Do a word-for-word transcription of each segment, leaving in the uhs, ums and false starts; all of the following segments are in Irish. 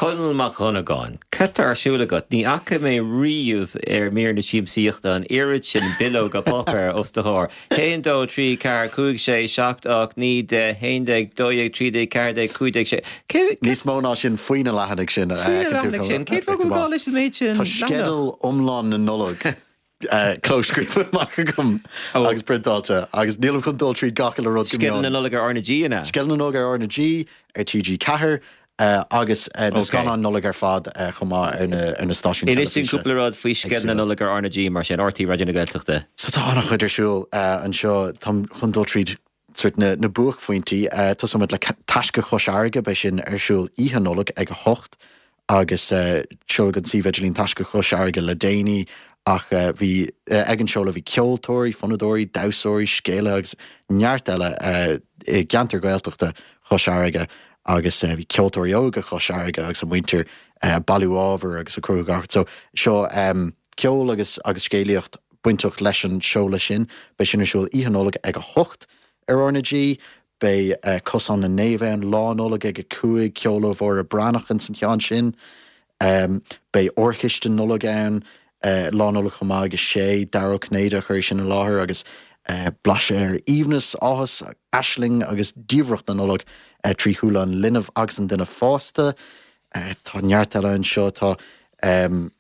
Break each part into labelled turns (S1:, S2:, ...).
S1: Conall Mac Dhonnagáin, Cad tá ar siúl agat ní fhaca mé riamh ar mír na siamsaíochta an oiread sin bileoga páipéir os do chomhair. Haon dó trí ceathair cúig sé seacht ocht naoi deich haon déag dó dhéag trí déag ceathair déag cúig déag sé.
S2: Níos mó ná sin faoi na leathanaigh sin.
S1: Leathanaigh sin cén fáth go leis an méid sin
S2: Tá sceideal iomlán na Nollag clóscríofa amach agam agus priontáilte agus nílim chun dul trí gach uile rud
S1: Sceideal na Nollag ar R na G ina?
S2: Sceideal na Nollag ar R na G ar TG Ceathair agus na scannáin Nollag ar fad chomh maith ar na stáisiúin.
S1: Inis dúinn cúpla rud faoi sceideal na Nollag ar R na G mar sin RTÉ Raidió na Gaeltachta.
S2: So tá an-chuid ar siúl anseo táim chun dul tríd sort na, na buaicphointí tosóimid le Taisce Chois Fharraige beidh sin ar siúl oíche Nollag ag a hocht agus seoladh an suíomh idirlín Taisce Chois Fharraige le déanaí ach bhí ag an seoladh bhí ceoltóirí, fonnadóirí, damhsóirí, scéalaithe agus neart eile i gceantar Gaeltachta Chois Fharraige agus bhí ceoltóirí óga Chois Fharraige agus a muintir bailiú ábhar agus a cruthú gach. So seo um, ceol agus agus scéalaíocht bainteach leis an seoladh sin, beidh sin ar siúl oíche Nollag ag a hocht ar R na G, Beidh uh, Cosán na Naomh ann lá Nollag ag a cúig ceol ó Mháire Breathnach in san cheann sin. Um, beidh Órchiste Nollag ann uh, lá Nollag chomh maith ag a sé Dara Ó Cinnéide a chuir sin i láthair agus uh, blaiseadh ar aoibhneas, áthas, aisling agus diamhracht na Nollag uh, trí shúile an linbh agus an duine fásta. Uh, tá neart eile anseo tá um,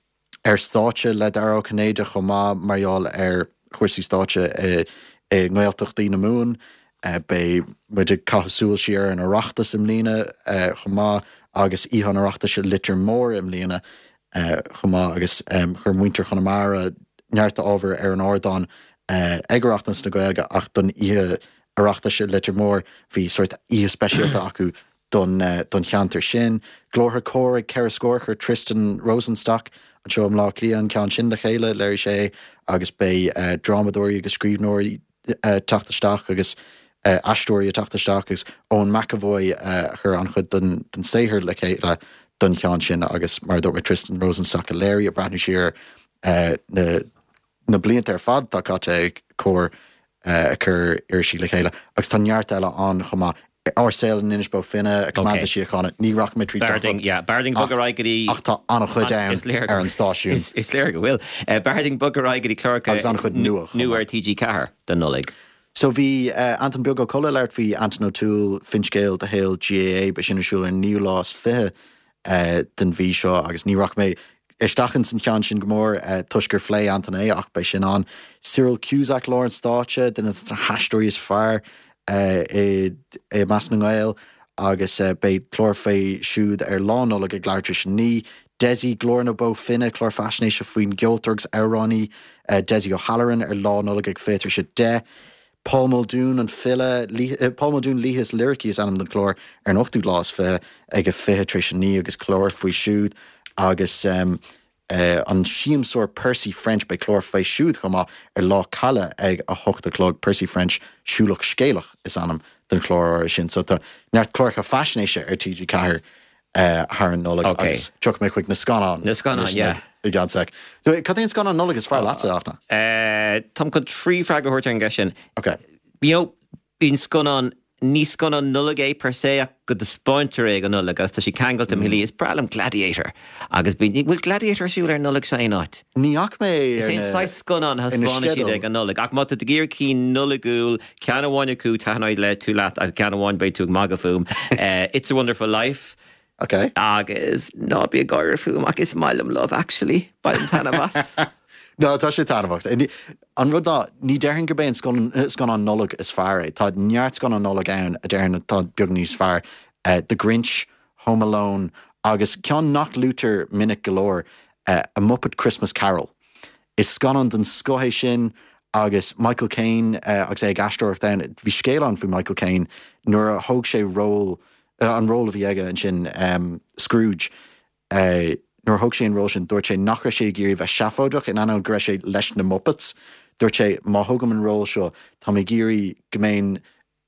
S2: ar stáitse le Dara Ó Cinnéide chomh maith mar gheall ar chúrsaí stáitse i, i nGaeltachtaí na Mumhan. Uh, beidh muid ag caitheamh súil siar an Oireachtas i mbliana uh, chomh maith agus Oíche an Oireachtais i Leitir Móir i mbliana uh, chomh maith agus um, chuir muintir Chonamara neart ábhar ar an ardán uh, ag Oireachtas na Gaeilge ach don Oíche Oireachtais i Leitir Móir bhí sort oíche speisialta acu don, uh, don cheantar sin. Glórtha Comhar ag ceithre scór chuir Tristan Rosenstock anseo i mBleá Cliath an ceann sin le chéile léirigh sé agus beidh uh, drámadóirí agus scríbhneoirí uh, teacht isteach agus uh, aisteoirí ag teacht isteach agus Eoin McEvoy uh, chuir an-chuid den, den saothar le chéile don cheann sin agus mar dúirt Tristan Rosenstock a léirigh ag breathnú siar uh, na, na blianta ar fad tá caite ag Comhar uh, chur irisí le chéile agus tá neart eile ann chomh maith. Ár Saol in Inis Bó Finne a Command Síochána ní rachaidh mé trí
S1: B'fhearr dúinn bogadh ar aghaidh go dtí
S2: ach tá an-chuid ann ar an stáisiún.
S1: Is léir go bhfuil. B'fhearr dúinn bogadh ar aghaidh go dtí cláracha
S2: Agus an-chuid nua.
S1: nua ar TG Ceathair don Nollaig.
S2: So bhí uh, Anton Beag Ó Colla leir bhí Anton O'Toole finscéal de shaol GAA beidh sin ar siúl ar naoú lá is fiche uh, den mhí seo agus ní rachaidh mé isteach in san cheann sin go mór uh, toisc gur phléigh Anton é ach beidh sin ann. Cyril Cusack lár an stáitse duine de na haisteoirí is fearr uh, i, i measc na nGael agus uh, beidh clár fé siúd ar lá Nollag ag leathuair tar éis a naoi. Desi Glór na Bó Finne clár faisnéise faoin gceoltóir agus amhránaí uh, Desi O'Halloran ar lá Nollag ag fiche tar éis a deich. Paul Muldoon an file uh, Paul Muldoon Laoithe is Liricí is ainm den chlár ar an ochtú lá is fiche ag a fiche tar éis a naoi agus clár faoi siúd agus um, uh, an siamsóir Percy French beidh clár faoi siúd chomh maith ar lá Caille ag a hocht a chlog Percy French siúlach scéalach is ainm den chlár sin so tá neart cláracha faisnéise ar TG Ceathair uh, thar an Nollaig
S1: Okay.
S2: agus tiocfaidh mé chuig na scannáin
S1: Na scannáin, yeah.
S2: i gceann sec. So, cad é an scannán Nollag is fearr leatsa Fhachtna?
S1: Uh, Táim chun trí freagra a thabhairt ar an gceist sin.
S2: Okay.
S1: You know, bíonn scannán ní scannán Nollag é per se ach go dtaispeántar é ag Nollaig agus tá sé ceangailte mm. Is breá liom Gladiator agus bíonn bhfuil Gladiator ar siúl ar Nollaig sa aon áit.
S2: Ní fhaca mé
S1: Is é saghas scannán
S2: na
S1: thaispeánann siad
S2: sceideal.
S1: ag an Nollaig ach má tá tú ag iarraidh ceann Nollaigiúil ceann amháin acu taitneoidh le tú leat agus ceann amháin beidh tú ag magadh fúm. Uh, It's a Wonderful Life.
S2: Okay.
S1: Agus ná bí ag gáire fúm ach is maith liom Love Actually bainim taitneamh as.
S2: No tá sé taitneamhach. An rud ná ní déarfainn gurb é an scannán Nollag is fearr é. Tá neart scannán Nollag ann a déarfainn atá beag níos fearr. Uh, The Grinch, Home Alone agus ceann nach luaitear minic go leor uh, a Muppet Christmas Carol. Is scannán den scoth é sin agus Michael Caine uh, agus é ag aisteoireacht ann bhí scéal ann faoi Michael Caine nuair a thóg sé ról uh, an ról a bhí aige ansin um, Scrooge. Uh, nuair thóg sé an ról sin dúirt sé nach raibh sé ag iarraidh bheith seafóideach in ainneoin go raibh sé leis na Muppets. Dúirt sé má thógaim an ról seo tá mé ag iarraidh go mbeinn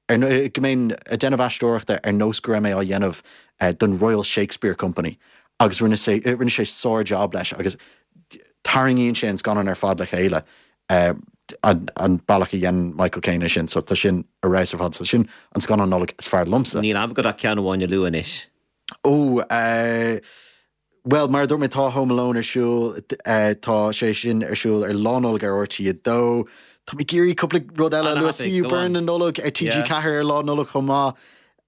S2: go mbeinn ag déanamh aisteoireachta ar nós go raibh mé á dhéanamh uh, don Royal Shakespeare Company. agus rinne sé rinne sé sár-job leis agus tarraingíonn sé an scannán ar fad le chéile. Uh, an, an bealach a dhein Michael Caine sin, so tá sin ar fheabhas ar fad so sin an scannán Nollag is fearr liomsa.
S1: Níl am go ceann amháin a lua anois.
S2: Ó, uh, Well, mar dúirt mé tá Home Alone ar siúl uh, tá sé sin ar siúl ar Lá Nollag ar RTÉ a dó. Tá mé ag iarraidh cúpla rud eile le See You Burn na Nollag ar TG Ceathair ar Lá Nollag chomh maith.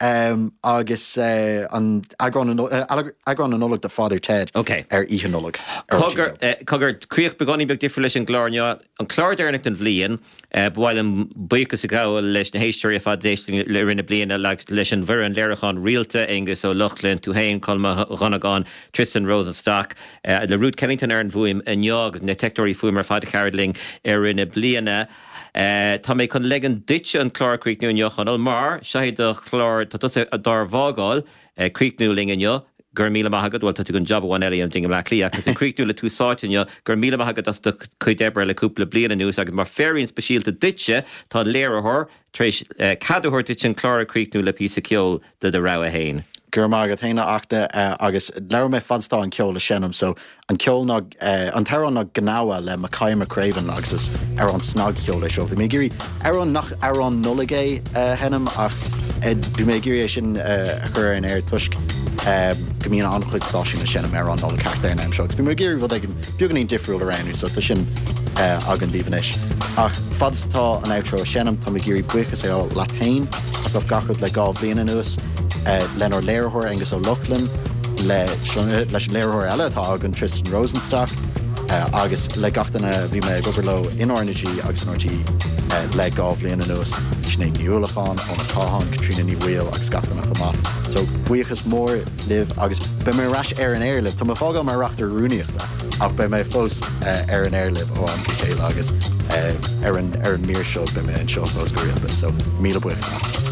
S2: Um, agus uh, an eagrán na Nollag de Father Ted
S1: okay.
S2: ar Oíche Nollag.
S1: Cogar cogar críoch beagáinín beag difriúil leis an gclár inniu an clár deireanach den bhliain ba mhaith liom buíochas a ghabháil leis na héisteoirí ar fad le rith na bliana leis an bhfoireann léiriúcháin rialta Aengus Ó Lochlainn tú féin Colm Ó Dhonnagáin Tristan Rosenstock le Ruth Kennington ar an bhfuaim inniu agus na teicneoirí fuaime ar fad a chabhraigh linn ar rith na bliana. Uh, tá mé chun ligean duit an clár a chríochnú inniu Chonall mar seo é do chlár tá tusa dár bhfágáil uh, críochnú linn inniu gur míle maith agat bhfuil tú an job amháin eile an ding le lí agus críochnú le tú sáite inniu gur míle maith agat as do chuid oibre le cúpla bliain anuas agus mar féirín speisialta duitse tá an léiritheoir tar éis uh, cead a thabhairt duit an clár a chríochnú le píosa ceoil de do rogha féin.
S2: Go raibh maith agat féin a Fhachtna agus labhair mé fad is atá an ceol ag seinm so an ceol ná an t-amhrán ná Gnawa le Makaya McCraven agus is amhrán snagcheol é seo. Bhí mé ag iarraidh amhrán nach amhrán Nollag é a sheinm ach bhí mé ag iarraidh é sin a chur ar an aer toisc go mbíonn an-chuid stáisiún ag seinm amhrán Nollag thart ar an am seo. Bhí mé ag iarraidh rud éigin beagáinín difriúil a roghnú so tá sin againn daoibh anois. Ach fad is atá an outro ag seinm tá mé ag iarraidh buíochas a ghabháil leat féin as ucht gach rud le dhá bhliain anuas lenár léiritheoir Aengus Ó Lochlainn le leis an léiritheoir eile atá againn Tristan Rosenstock agus le gach duine a bhí mé ag obair leo in RnaG agus in RTÉ le dhá bhliain anuas Sinéad Ní Uallacháin, Eoin Ó Catháin, Caitríona Ní Bhaoill agus gach duine chomh maith. So buíochas mór libh agus beidh mé ar ais ar an aer libh, Tá mé ag fágáil mar reachtaire rúnaíochta ach beidh mé fós ar an aer libh ó am go chéile agus ar an ar an mír seo beidh mé anseo fós go rialta, so míle buíochas.